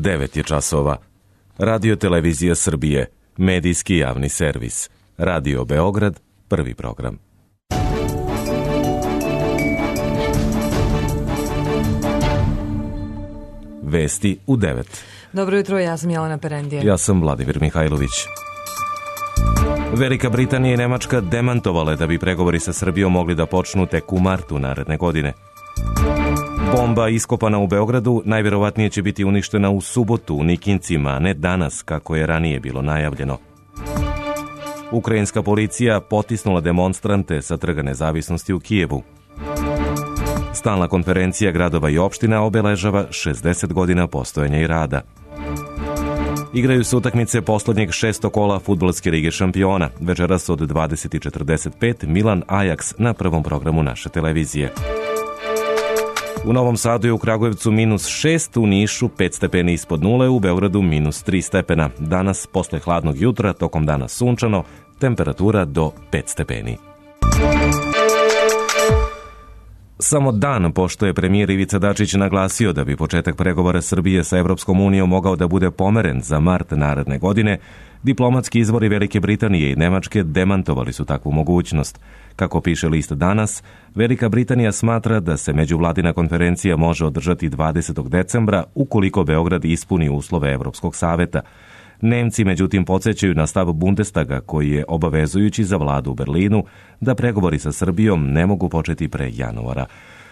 9 je časova. Radio Televizija Srbije, medijski javni servis. Radio Beograd, prvi program. Vesti u 9. Dobro jutro, ja sam Jelena Perendije. Ja sam Vladimir Mihajlović. Velika Britanija i Nemačka demantovale da bi pregovori sa Srbijom mogli da počnu tek u martu naredne godine. Bomba iskopana u Beogradu najvjerovatnije će biti uništena u subotu u Nikincima, a ne danas kako je ranije bilo najavljeno. Ukrajinska policija potisnula demonstrante sa Trga Nezavisnosti u Kijevu. Stalna konferencija gradova i opština obeležava 60 godina postojanja i rada. Igraju se utakmice poslednjeg 6. kola Fudbalske lige šampiona. Večeras od 20:45 Milan Ajax na prvom programu naše televizije. U Novom Sadu je u Kragujevcu -6, u Nišu 5 stepeni ispod nule, u Beogradu -3 stepena. Danas, posle hladnog jutra, tokom dana sunčano, temperatura do 5 stepeni. Samo dan pošto je premijer Ivica Dačić naglasio da bi početak pregovora Srbije sa Evropskom unijom mogao da bude pomeren za mart naredne godine, diplomatski izvori Velike Britanije i Nemačke demantovali su takvu mogućnost. Kako piše list Danas, Velika Britanija smatra da se međuvladina konferencija može održati 20. decembra ukoliko Beograd ispuni uslove Evropskog saveta. Nemci, međutim, podsjećaju na stav Bundestaga koji je obavezujući za vladu u Berlinu da pregovori sa Srbijom ne mogu početi pre januara.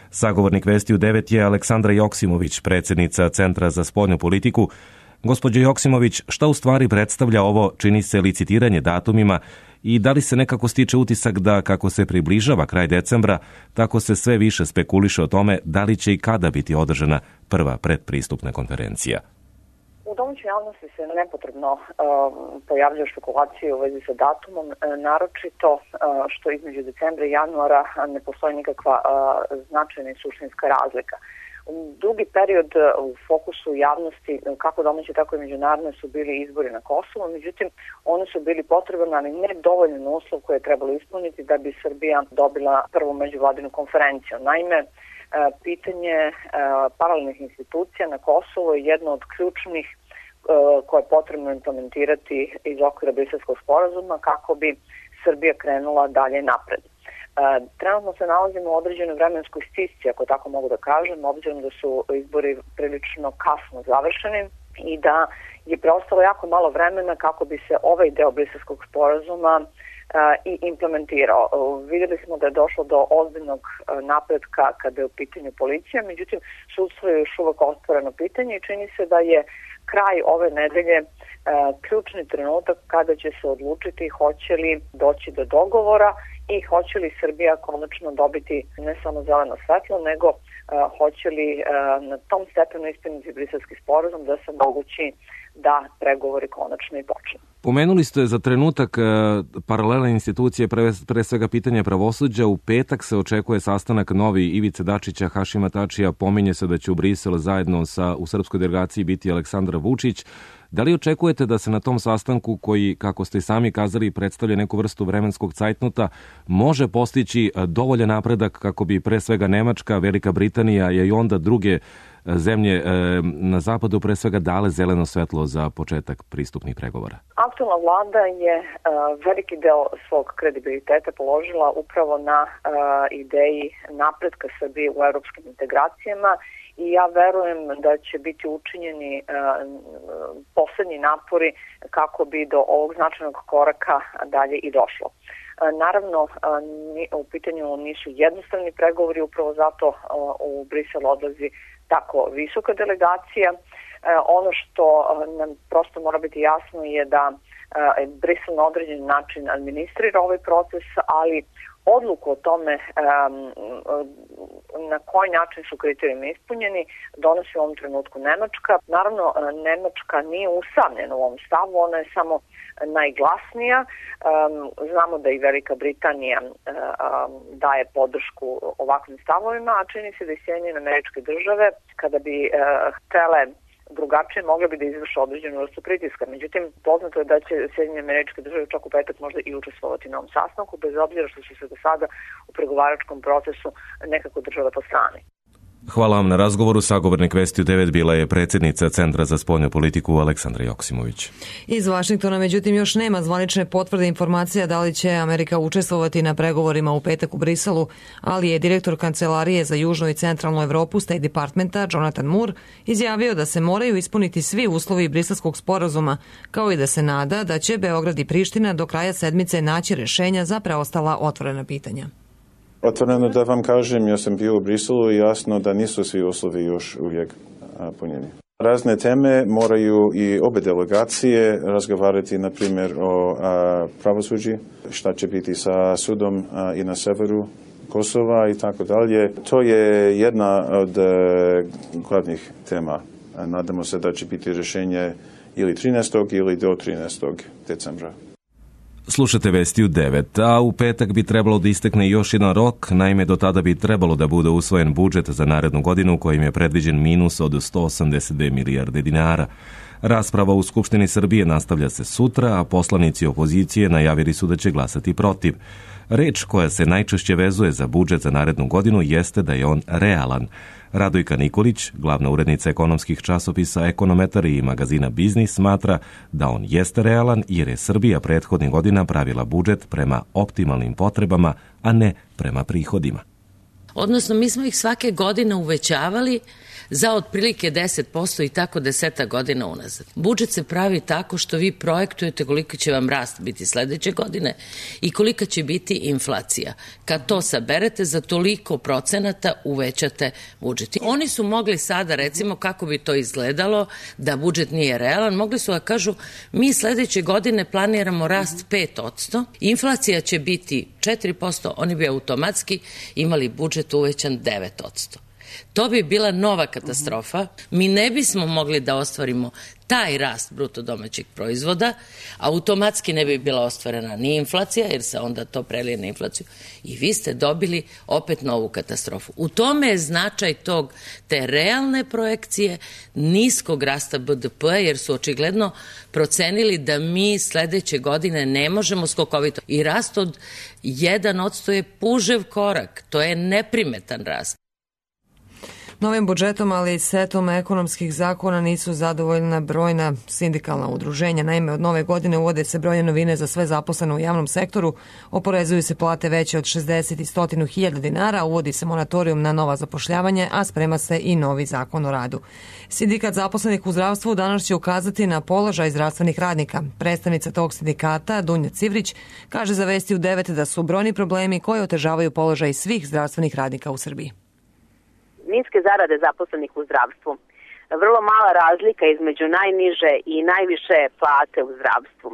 Sagovornik Vesti u 9 je Aleksandra Joksimović, predsjednica Centra za spoljnu politiku. Gospođo Joksimović, šta u stvari predstavlja ovo, čini se, licitiranje datumima i da li se nekako stiče utisak da kako se približava kraj decembra, tako se sve više spekuliše o tome da li će i kada biti održana prva predpristupna konferencija? U domaćoj javnosti se nepotrebno pojavljaju špekulacije u vezi sa datumom, naročito što između decembra i januara ne postoji nikakva značajna i suštinska razlika. Dugi period u fokusu javnosti, kako domaće, tako i međunarodne, su bili izbori na Kosovu, međutim, oni su bili potreban, ali ne dovoljan uslov koje je trebalo ispuniti da bi Srbija dobila prvu međuvladinu konferenciju. Naime, pitanje paralelnih institucija na Kosovu je jedno od ključnih koje je potrebno implementirati iz okvira Briselskog sporazuma kako bi Srbija krenula dalje napred. Trenutno se nalazimo u određenoj vremenskoj stisci, ako tako mogu da kažem, obzirom da su izbori prilično kasno završeni i da je preostalo jako malo vremena kako bi se ovaj deo Briselskog sporazuma i implementirao. Vidjeli smo da je došlo do ozbiljnog napretka kada je u pitanju policija, međutim, sudstvo je još uvek otvoreno pitanje i čini se da je kraj ove nedelje ključni trenutak kada će se odlučiti hoće li doći do dogovora i hoće li Srbija konačno dobiti ne samo zeleno svetlo, nego hoće li na tom stepenu ispuniti Briselski sporazum da se mogući da pregovori konačno i počnu. Pomenuli ste za trenutak paralelne institucije, pre svega pitanje pravosuđa. U petak se očekuje sastanak novi Ivice Dačića, Hašima Tačija. Pominje se da će u Brisel zajedno u srpskoj delegaciji biti Aleksandar Vučić. Da li očekujete da se na tom sastanku, koji, kako ste i sami kazali, predstavlja neku vrstu vremenskog cajtnota, može postići dovoljan napredak kako bi pre svega Nemačka, Velika Britanija i onda druge zemlje na zapadu pre svega dale zeleno svetlo za početak pristupnih pregovora? Aktualna vlada je veliki deo svog kredibiliteta položila upravo na ideji napretka Srbije u evropskim integracijama i ja verujem da će biti učinjeni poslednji napori kako bi do ovog značajnog koraka dalje i došlo. Naravno, u pitanju nisu jednostavni pregovori, upravo zato u Brisel odlazi tako visoka delegacija. Ono što nam prosto mora biti jasno je da Brisel na određen način administrira ovaj proces, ali odluku o tome na koji način su kriterijumi ispunjeni donosi u ovom trenutku Nemačka. Naravno, Nemačka nije usamljena u ovom stavu, ona je samo najglasnija. Znamo da i Velika Britanija daje podršku ovakvim stavovima, a čini se da i Sjedinjene Američke Države, kada bi htele drugačije, mogli bi da izvrše određenu vrstu pritiska. Međutim, poznato je da će Sjedinjene Američke Države čak u petak možda i učestvovati na ovom sastanku, bez obzira što su se do sada u pregovaračkom procesu nekako držale po strani. Hvala vam na razgovoru. Sagovornik Vesti u 9 bila je predsjednica Centra za spoljnu politiku Aleksandra Joksimović. Iz Vašingtona, međutim, još nema zvanične potvrde informacija da li će Amerika učestvovati na pregovorima u petak u Briselu, ali je direktor Kancelarije za južnu i centralnu Evropu State Departmenta Jonathan Moore izjavio da se moraju ispuniti svi uslovi briselskog sporazuma, kao i da se nada da će Beograd i Priština do kraja sedmice naći rešenja za preostala otvorena pitanja. Otvoreno da vam kažem, ja sam bio u Briselu i jasno da nisu svi uslovi još uvijek punjeni. Razne teme moraju i obe delegacije razgovarati, na primjer, o pravosuđi, šta će biti sa sudom i na severu Kosova i tako dalje. To je jedna od glavnih tema. Nadamo se da će biti rješenje ili 13. ili do 13. decembra. Slušate Vesti u 9, a u petak bi trebalo da istekne još jedan rok, naime do tada bi trebalo da bude usvojen budžet za narednu godinu kojim je predviđen minus od 182 milijarde dinara. Rasprava u Skupštini Srbije nastavlja se sutra, a poslanici opozicije najavili su da će glasati protiv. Reč koja se najčešće vezuje za budžet za narednu godinu jeste da je on realan. Radojka Nikolić, glavna urednica ekonomskih časopisa Ekonometar i magazina Biznis, smatra da on jeste realan jer je Srbija prethodnih godina pravila budžet prema optimalnim potrebama, a ne prema prihodima. Odnosno, mi smo ih svake godine uvećavali za otprilike 10% i tako 10 godina unazad. Budžet se pravi tako što vi projektujete koliko će vam rast biti sledeće godine i kolika će biti inflacija. Kad to saberete, za toliko procenata uvećate budžet. Oni su mogli sada, recimo, kako bi to izgledalo, da budžet nije realan, mogli su da kažu, mi sledeće godine planiramo rast 5%, inflacija će biti 4%, oni bi automatski imali budžet uvećan 9%. To bi bila nova katastrofa. Mi ne bismo mogli da ostvarimo taj rast bruto domaćeg proizvoda, automatski ne bi bila ostvarena ni inflacija, jer se onda to prelije na inflaciju i vi ste dobili opet novu katastrofu. U tome je značaj te realne projekcije niskog rasta BDP-a, jer su očigledno procenili da mi sledeće godine ne možemo skokovito. I rast od 1% je pužev korak, to je neprimetan rast. Novim budžetom, ali i setom ekonomskih zakona nisu zadovoljna brojna sindikalna udruženja. Naime, od nove godine uvode se brojne novine za sve zaposlene u javnom sektoru, oporezuju se plate veće od 60 i 100.000 dinara, uvodi se monatorijum na nova zapošljavanje, a sprema se i novi zakon o radu. Sindikat zaposlenih u zdravstvu danas će ukazati na položaj zdravstvenih radnika. Predstavnica tog sindikata, Dunja Civrić, kaže za Vesti u 9 da su brojni problemi koji otežavaju položaj svih zdravstvenih radnika u Srbiji. Niske zarade zaposlenih u zdravstvu, vrlo mala razlika između najniže i najviše plate u zdravstvu,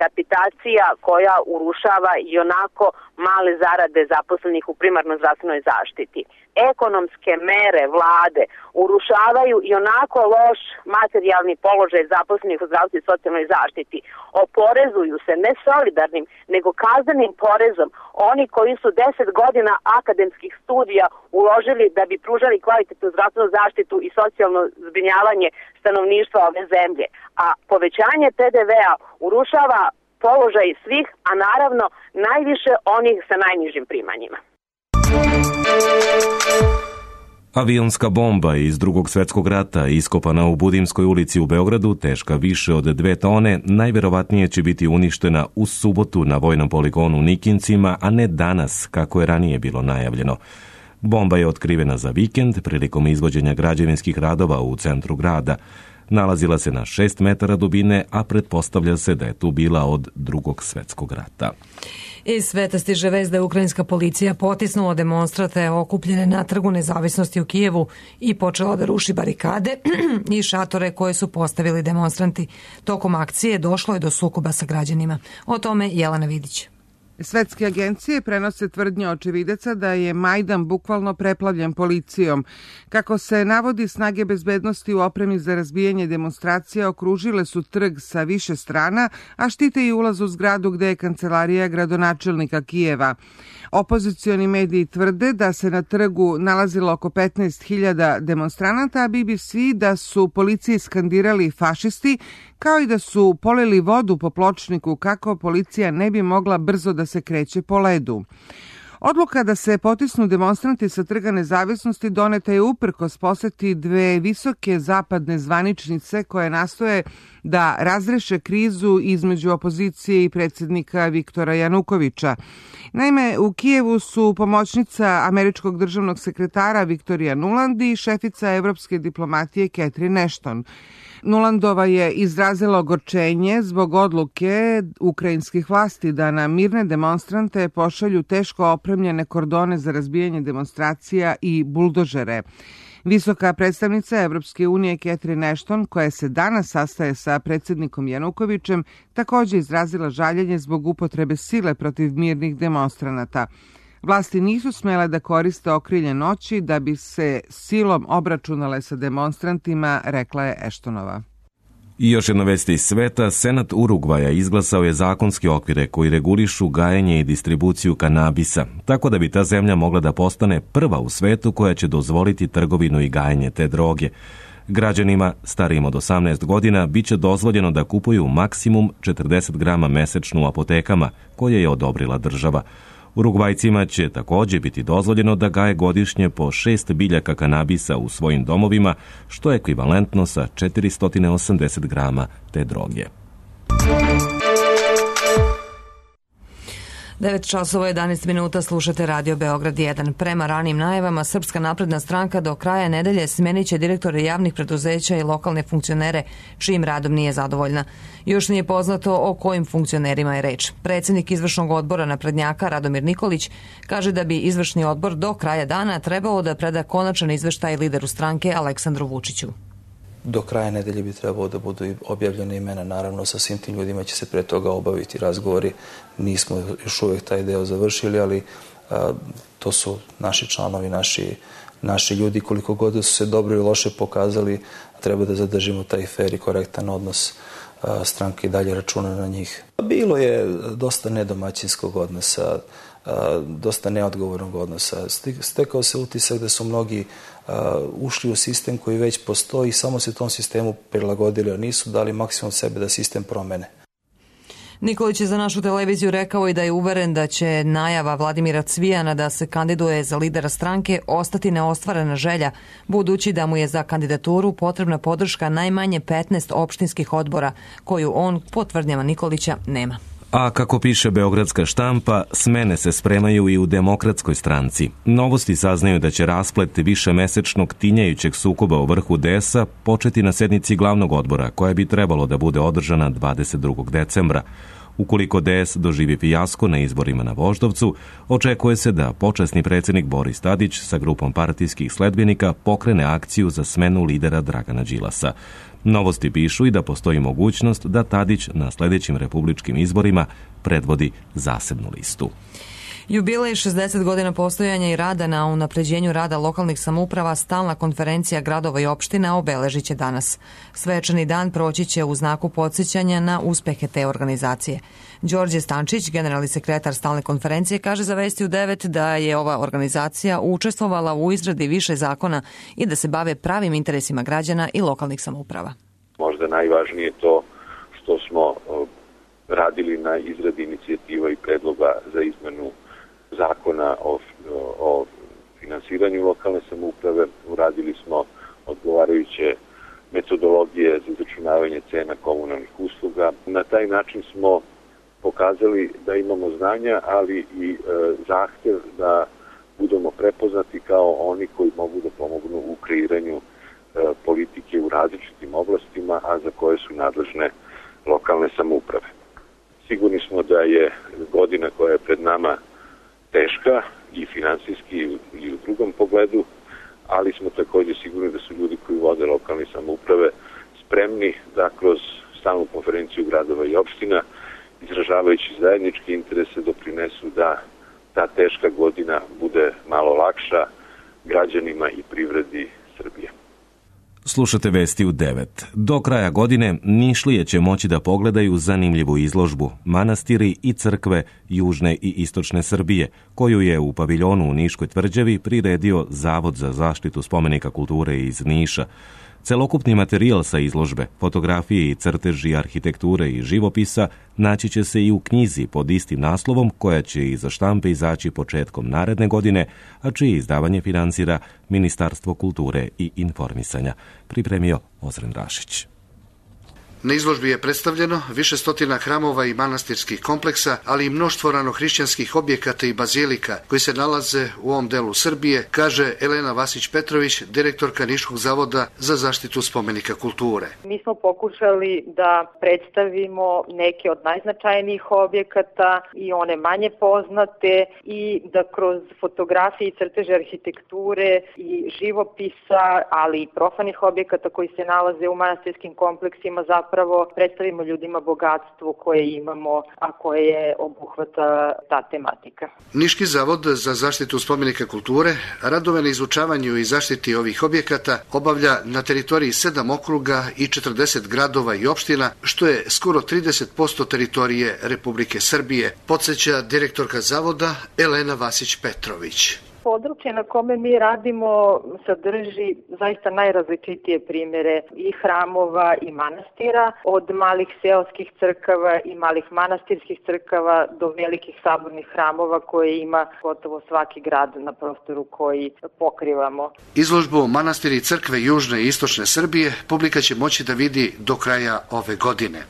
kapitacija koja urušava i onako male zarade zaposlenih u primarnoj zdravstvenoj zaštiti. Ekonomske mere vlade urušavaju i onako loš materijalni položaj zaposlenih u zdravstvu i socijalnoj zaštiti. Oporezuju se ne solidarnim, nego kaznenim porezom oni koji su 10 godina akademskih studija uložili da bi pružali kvalitetnu zdravstvenu zaštitu i socijalno zbrinjavanje stanovništva ove zemlje. A povećanje PDV-a urušava položaj svih, a naravno najviše onih sa najnižim primanjima. Avionska bomba iz Drugog svjetskog rata iskopana u Budimskoj ulici u Beogradu, teška više od 2 tone, najverovatnije će biti uništena u subotu na vojnom poligonu u Nikincima, a ne danas, kako je ranije bilo najavljeno. Bomba je otkrivena za vikend prilikom izvođenja građevinskih radova u centru grada. Nalazila se na 6 metara dubine, a pretpostavlja se da je tu bila od Drugog svjetskog rata. Iz sveta stiže vest da je ukrajinska policija potisnula demonstrante okupljene na Trgu nezavisnosti u Kijevu i počela da ruši barikade i šatore koje su postavili demonstranti. Tokom akcije došlo je do sukoba sa građanima. O tome Jelena Vidić. Svetske agencije prenose tvrdnje očevidaca da je Majdan bukvalno preplavljen policijom. Kako se navodi, snage bezbednosti u opremi za razbijanje demonstracija okružile su trg sa više strana, a štite i ulaz u zgradu gde je kancelarija gradonačelnika Kijeva. Opozicioni mediji tvrde da se na trgu nalazilo oko 15.000 demonstranata, a BBC da su policiji skandirali fašisti, kao i da su polili vodu po pločniku kako policija ne bi mogla brzo da se kreće po ledu. Odluka da se potisnu demonstranti sa Trga Nezavisnosti doneta je uprkos poseti dve visoke zapadne zvaničnice koje nastoje da razreše krizu između opozicije i predsjednika Viktora Janukovića. Naime, u Kijevu su pomoćnica američkog državnog sekretara Viktorija Nuland i šefica evropske diplomatije Catherine Ashton. Nulandova je izrazila ogorčenje zbog odluke ukrajinskih vlasti da na mirne demonstrante pošalju teško opremljene kordone za razbijanje demonstracija i buldožere. Visoka predstavnica Evropske unije Catherine Ashton, koja se danas sastaje sa predsjednikom Janukovićem, također izrazila žaljenje zbog upotrebe sile protiv mirnih demonstranata. Vlasti nisu smjele da koriste okrilje noći da bi se silom obračunale sa demonstrantima, rekla je Ashtonova. I još jedna vest iz sveta, Senat Urugvaja izglasao je zakonske okvire koji regulišu gajenje i distribuciju kanabisa, tako da bi ta zemlja mogla da postane prva u svetu koja će dozvoliti trgovinu i gajenje te droge. Građanima starijim od 18 godina bit će dozvoljeno da kupuju maksimum 40 grama mesečno u apotekama, koje je odobrila država. Urugvajcima će također biti dozvoljeno da gaje godišnje po 6 biljaka kanabisa u svojim domovima, što je ekvivalentno sa 480 grama te droge. 9 časova 11 minuta slušate Radio Beograd 1. Prema ranim najavama, Srpska napredna stranka do kraja nedelje smenit će direktore javnih preduzeća i lokalne funkcionere čijim radom nije zadovoljna. Još nije poznato o kojim funkcionerima je reč. Predsjednik izvršnog odbora naprednjaka Radomir Nikolić kaže da bi izvršni odbor do kraja dana trebao da preda konačan izveštaj lideru stranke Aleksandru Vučiću. Do kraja nedelje bi trebalo da budu objavljene imena. Naravno, sa svim tim ljudima će se pre toga obaviti razgovori. Nismo još uvijek taj deo završili, ali to su naši članovi, naši ljudi. Koliko god su se dobro i loše pokazali, treba da zadržimo taj fer i korektan odnos. Stranke i dalje računa na njih. Bilo je dosta nedomaćinskog odnosa, dosta neodgovornog odnosa. Stekao se utisak da su mnogi ušli u sistem koji već postoji i samo se tom sistemu prilagodili, a nisu dali maksimum sebe da sistem promene. Nikolić je za našu televiziju rekao i da je uveren da će najava Vladimira Cvijana da se kandiduje za lidera stranke ostati neostvarena želja, budući da mu je za kandidaturu potrebna podrška najmanje 15 opštinskih odbora, koju on, po tvrdnjama Nikolića, nema. A kako piše beogradska štampa, smene se spremaju i u Demokratskoj stranci. Novosti saznaju da će rasplet višemesečnog tinjajućeg sukoba u vrhu DS-a početi na sednici glavnog odbora, koja bi trebalo da bude održana 22. decembra. Ukoliko DS doživi fijasko na izborima na Voždovcu, očekuje se da počasni predsjednik Boris Tadić sa grupom partijskih sledbenika pokrene akciju za smenu lidera Dragana Đilasa. Novosti pišu i da postoji mogućnost da Tadić na sljedećim republičkim izborima predvodi zasebnu listu. Jubilej 60 godina postojanja i rada na unapređenju rada lokalnih samouprava stalna konferencija gradova i opština obeležit će danas. Svečani dan proći će u znaku podsjećanja na uspehe te organizacije. Đorđe Stančić, generalni sekretar stalne konferencije, kaže za Vesti u 9 da je ova organizacija učestvovala u izradi više zakona i da se bave pravim interesima građana i lokalnih samouprava. Možda najvažnije to što smo radili na izradi inicijativa i predloga za izmenu zakona o finansiranju lokalne samouprave. Uradili smo odgovarajuće metodologije za izračunavanje cena komunalnih usluga. Na taj način smo pokazali da imamo znanja, ali i zahtev da budemo prepoznati kao oni koji mogu da pomognu u kreiranju politike u različitim oblastima, a za koje su nadležne lokalne samouprave. Sigurni smo da je godina koja je pred nama teška i finansijski i u drugom pogledu, ali smo također sigurni da su ljudi koji vode lokalne samouprave spremni da kroz stalnu konferenciju gradova i opština, izražavajući zajedničke interese, doprinesu da ta teška godina bude malo lakša građanima i privredi Srbije. Slušate Vesti u 9. Do kraja godine Nišlije će moći da pogledaju zanimljivu izložbu Manastiri i crkve južne i istočne Srbije, koju je u paviljonu u Niškoj tvrđavi priredio Zavod za zaštitu spomenika kulture iz Niša. Celokupni materijal sa izložbe, fotografije i crteži arhitekture i živopisa naći će se i u knjizi pod istim naslovom koja će iza štampe izaći početkom naredne godine, a čije izdavanje finansira Ministarstvo kulture i informisanja, pripremio Ozren Rašić. Na izložbi je predstavljeno više stotina hramova i manastirskih kompleksa, ali i mnoštvo ranohrišćanskih objekata i bazilika koji se nalaze u ovom delu Srbije, kaže Elena Vasić-Petrović, direktorka Niškog zavoda za zaštitu spomenika kulture. Mi smo pokušali da predstavimo neke od najznačajnijih objekata i one manje poznate i da kroz fotografije i crteže arhitekture i živopisa, ali i profanih objekata koji se nalaze u manastirskim kompleksima zapravo predstavimo ljudima bogatstvo koje imamo, a koje obuhvata ta tematika. Niški zavod za zaštitu spomenika kulture radove na izučavanju i zaštiti ovih objekata obavlja na teritoriji 7 okruga i 40 gradova i opština, što je skoro 30% teritorije Republike Srbije, podsjeća direktorka zavoda Elena Vasić-Petrović. Područje na kome mi radimo sadrži zaista najrazličitije primjere i hramova i manastira, od malih seoskih crkava i malih manastirskih crkava do velikih sabornih hramova koje ima gotovo svaki grad na prostoru koji pokrivamo. Izložbu Manastiri i crkve južne i istočne Srbije publika će moći da vidi do kraja ove godine.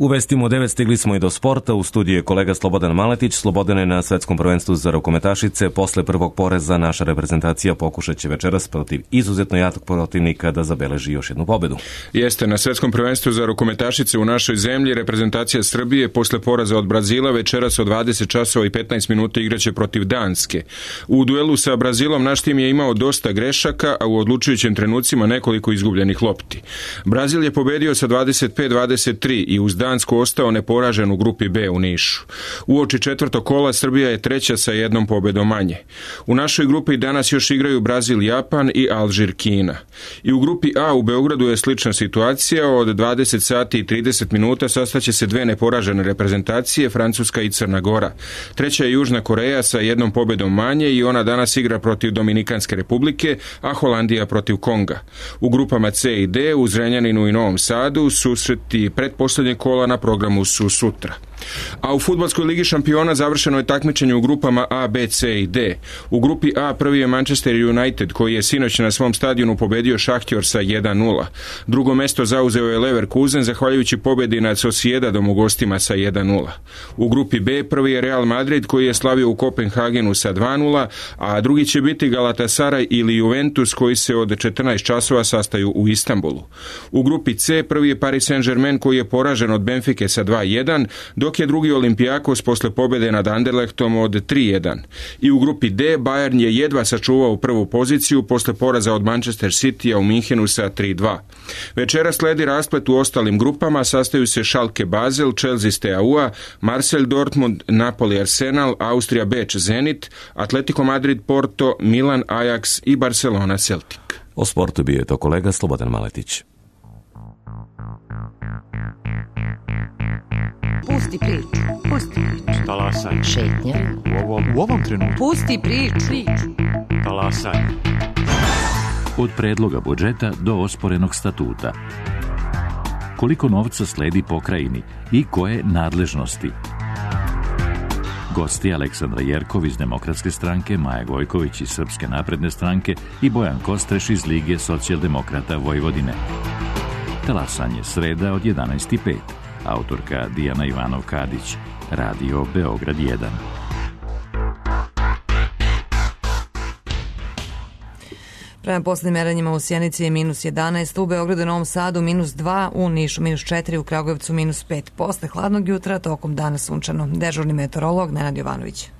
U vestima 9 stigli smo i do sporta. U studiju je kolega Slobodan Maletić. Slobodan je na svetskom prvenstvu za rukometašice. Posle prvog poreza naša reprezentacija pokušat će večeras protiv izuzetno jakog protivnika da zabeleži još jednu pobedu. Jeste, na svetskom prvenstvu za rukometašice u našoj zemlji reprezentacija Srbije posle poraza od Brazila večeras od 20 časova i 15 minuta igraće protiv Danske. U duelu sa Brazilom naš tim je imao dosta grešaka, a u odlučujućim trenucima nekoliko izgubljenih lopti. Brazil je pobedio sa 25-23 i uz Dansku ostao neporažen u grupi B u Nišu. Uoči četvrtog kola Srbija je treća sa jednom pobedom manje. U našoj grupi danas još igraju Brazil, Japan i Alžir, Kina. I u grupi A u Beogradu je slična situacija. Od 20 sati i 30 minuta sastaće se dve neporažene reprezentacije, Francuska i Crna Gora. Treća je Južna Koreja sa jednom pobedom manje i ona danas igra protiv Dominikanske republike, a Holandija protiv Konga. U grupama C i D u Zrenjaninu i Novom Sadu susreti pretposlednjeg kola na programu su sutra. A u fudbalskoj ligi šampiona završeno je takmičenje u grupama A, B, C i D. U grupi A prvi je Manchester United koji je sinoć na svom stadionu pobedio Šahtjor sa 1-0. Drugo mesto zauzeo je Leverkusen zahvaljujući pobedi nad Sociedadom u gostima sa 1-0. U grupi B prvi je Real Madrid koji je slavio u Kopenhagenu sa 2-0, a drugi će biti Galatasaray ili Juventus koji se od 14 časova sastaju u Istanbulu. U grupi C prvi je Paris Saint-Germain koji je poražen od Benfike sa 2-1, dok je drugi Olympiakos posle pobjede nad Anderlechtom od 3-1. I u grupi D Bayern je jedva sačuvao prvu poziciju posle poraza od Manchester Citya u Minhenu sa 3-2. Večera sledi rasplet u ostalim grupama, sastaju se Schalke Basel, Chelsea Steaua, Marseille Dortmund, Napoli Arsenal, Austrija Beč Zenit, Atletico Madrid Porto, Milan Ajax i Barcelona Celtic. O sportu bio je to kolega Slobodan Maletić. Pusti priču. Pusti priču. Talasaj. Šetnja. U ovom trenutku. Pusti priču. Talasaj. Od predloga budžeta do osporenog statuta. Koliko novca sledi pokrajini i koje nadležnosti? Gosti Aleksandra Jerkov iz Demokratske stranke, Maja Gojković iz Srpske napredne stranke i Bojan Kostreš iz Lige socijaldemokrata Vojvodine. Talasanje sreda od 11:05. Autorka Dijana Ivanov-Kadić. Radio Beograd 1. Prema posljednjim merenjima u Sjenici je -11, u Beogradu i Novom Sadu -2, u Nišu -4, u Kragujevcu -5. Posle hladnog jutra tokom dana sunčano. Dežurni meteorolog Nenad Jovanović.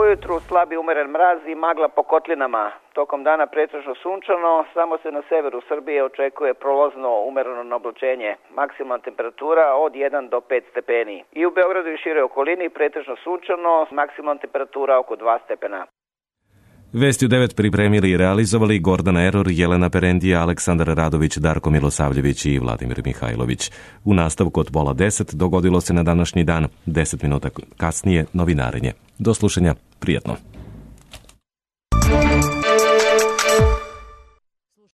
Ujutru slabi umeren mraz i magla po kotlinama. Tokom dana pretežno sunčano, samo se na severu Srbije očekuje prolazno umereno oblačenje. Maksimalna temperatura od 1 do 5 stepeni. I u Beogradu i široj okolini pretežno sunčano, maksimalna temperatura oko 2 stepena. Vesti u 9 pripremili i realizovali Gordana Eror, Jelena Perendija, Aleksandar Radović, Darko Milosavljević i Vladimir Mihajlović. U nastavku od 9:30 dogodilo se na današnji dan, 10 minuta kasnije novinarenje. Do slušanja, prijatno.